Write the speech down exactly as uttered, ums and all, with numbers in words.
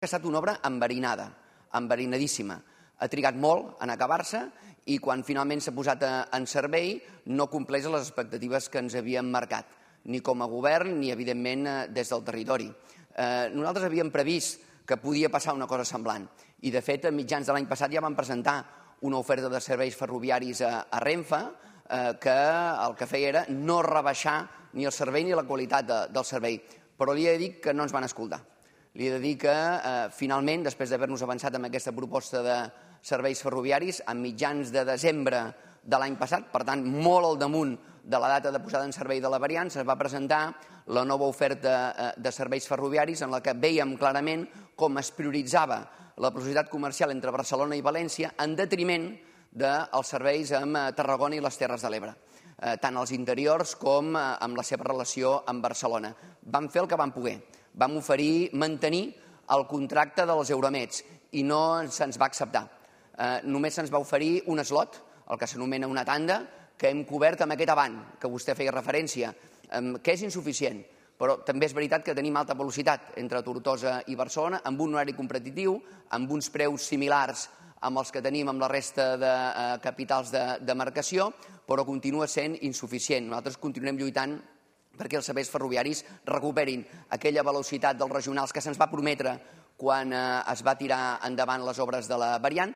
ha estat una obra enverinada, enverinadíssima. Ha trigat molt en acabar-se i quan finalment s'ha posat en servei no compleix les expectatives que ens havíem marcat, ni com a govern ni, evidentment, des del territori. Nosaltres havíem previst que podia passar una cosa semblant i, de fet, a mitjans de l'any passat ja vam presentar una oferta de serveis ferroviaris a Renfe que el que feia era no rebaixar ni el servei ni la qualitat del servei. Però li he de dir que no ens van escoltar. Li he de dir que, finalment, després d'haver-nos avançat amb aquesta proposta de serveis ferroviaris, a mitjans de desembre de l'any passat, per tant, molt al damunt de la data de posada en servei de la variant, es va presentar la nova oferta de serveis ferroviaris en la que vèiem clarament com es prioritzava la velocitat comercial entre Barcelona i València en detriment dels serveis amb Tarragona i les Terres de l'Ebre, tant als interiors com amb la seva relació amb Barcelona. Vam fer el que vam poder. Vam oferir mantenir el contracte dels Euromeds i no se'ns va acceptar. Només se'ns va oferir un slot, el que s'anomena una tanda, que hem cobert amb aquest avant, que vostè feia referència, que és insuficient. Però també és veritat que tenim alta velocitat entre Tortosa i Barcelona, amb un horari competitiu, amb uns preus similars amb els que tenim amb la resta de capitals de marcació, però continua sent insuficient. Nosaltres continuem lluitant perquè els serveis ferroviaris recuperin aquella velocitat dels regionals que se'ns va prometre quan es va tirar endavant les obres de la variant